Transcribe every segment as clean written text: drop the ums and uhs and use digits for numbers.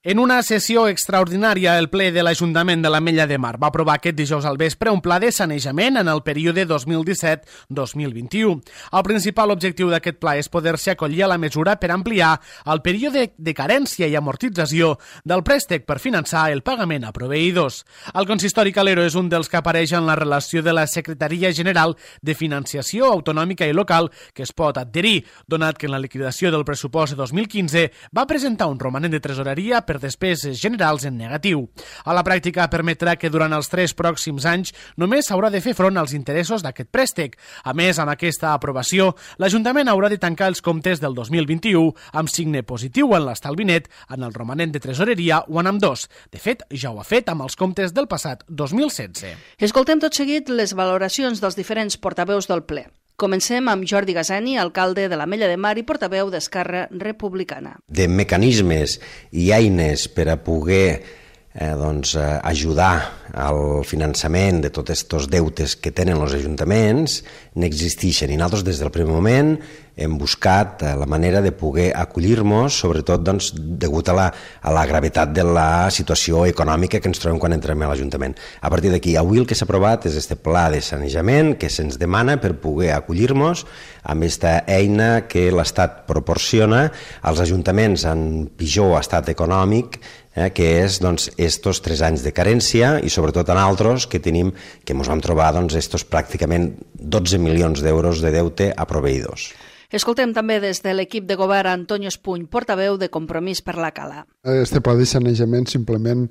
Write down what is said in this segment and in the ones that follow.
En una sessió extraordinària, el ple de l'Ajuntament de l'Ametlla de Mar va aprovar aquest dijous al vespre un pla de sanejament en el període 2017-2021. El principal objectiu d'aquest pla és poder-se acollir a la mesura per ampliar el període de carència i amortització del préstec per finançar el pagament a proveïdors. El consistori Calero és un dels que apareix en la relació de la Secretaria General de Financiació Autonòmica i Local que es pot adherir, donat que en la liquidació del pressupost de 2015 va presentar un romanent de tresoreria per despeses generals en negatiu. A la pràctica permetrà que durant els 3 pròxims anys només s'haurà de fer front als interessos d'aquest préstec. A més, amb aquesta aprovació, l'Ajuntament haurà de tancar els comptes del 2021 amb signe positiu en l'estalvi net, en el romanent de tresoreria o en ambdós. De fet, ja ho ha fet amb els comptes del passat 2016. Escoltem tot seguit les valoracions dels diferents portaveus del ple. Comencem amb Jordi Gasani, alcalde de l'Ametlla de Mar i portaveu d'Esquerra Republicana. De mecanismes i eines per a poder ajudar al finançament de tots aquests deutes que tenen els ajuntaments n'existeixen i nosaltres des del primer moment hem buscat la manera de poder acollir-nos, sobretot degut a la gravetat de la situació econòmica que ens trobem quan entrem a l'Ajuntament. A partir d'aquí, avui el que s'ha aprovat és aquest pla de sanejament que se'ns demana per poder acollir-nos amb aquesta eina que l'Estat proporciona als ajuntaments en pitjor estat econòmic, que és estos 3 anys de carència i sobretot en altres que tenim, que ens vam trobar estos pràcticament 12 milions d'euros de deute a proveïdors. Escoltem també des de l'equip de govern Antonio Espuny, portaveu de Compromís per la Cala. Este pla de sanejament simplement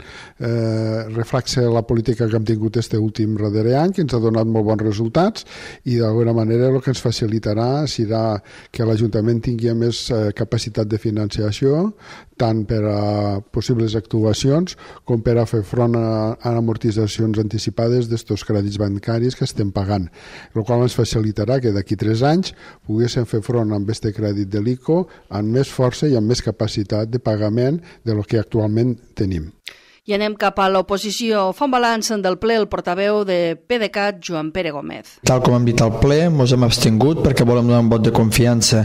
reflexa la política que hem tingut este últim darrer any, que ens ha donat molt bons resultats i d'alguna manera el que ens facilitarà serà que l'Ajuntament tingui més capacitat de financiació, tant per a possibles actuacions com per a fer front a amortitzacions anticipades d'estos crèdits bancaris que estem pagant, el qual ens facilitarà que d'aquí 3 anys poguéssim fer front amb aquest crèdit de l'ICO amb més força i amb més capacitat de pagament de lo que actualment tenim. I anem cap a l'oposició. Fa un balanç del ple el portaveu de PDeCAT, Joan Pere Gómez. Tal com hem dit al ple, ens hem abstingut perquè volem donar un vot de confiança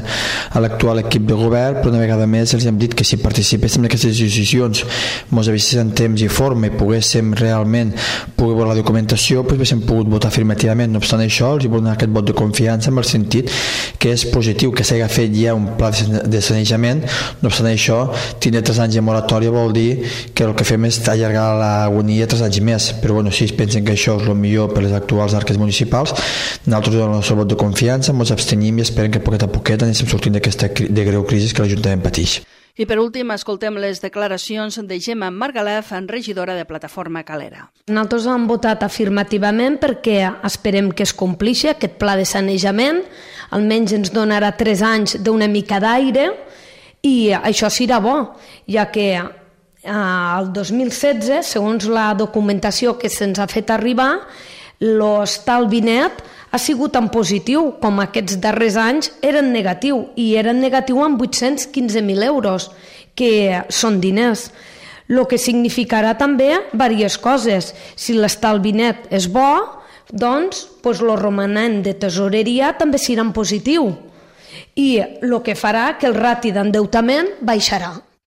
a l'actual equip de govern, però una vegada més els hem dit que si participéssim en aquestes decisions ens avisés en temps i forma i poguéssim realment veure la documentació, doncs haguéssim pogut votar afirmativament. No obstant això, els volem donar aquest vot de confiança en el sentit que és positiu que s'hagi fet ja un pla de sanejament. No obstant això, tindre 3 anys de moratòria vol dir que el que fem és allargar l'agonia 3 anys més, però si es pensen que això és el millor per les actuals arques municipals, nosaltres donem el nostre vot de confiança, ens abstenim i esperem que poquet a poquet anem sortint d'aquesta greu crisi que l'Ajuntament pateix. I per últim, escoltem les declaracions de Gemma Margalef, regidora de Plataforma Calera. Nosaltres hem votat afirmativament perquè esperem que es complixi aquest pla de sanejament, almenys ens donarà 3 anys d'una mica d'aire i això serà bo, ja que el 2016, segons la documentació que se'ns ha fet arribar, l'estalvi net ha sigut en positiu, com aquests darrers anys eren negatiu, i eren negatiu amb 815.000 euros, que són diners. El que significarà també diverses coses. Si l'estalvi net és bo, doncs el romanent de tesoreria també serà en positiu, i el que farà que el rati d'endeutament baixarà.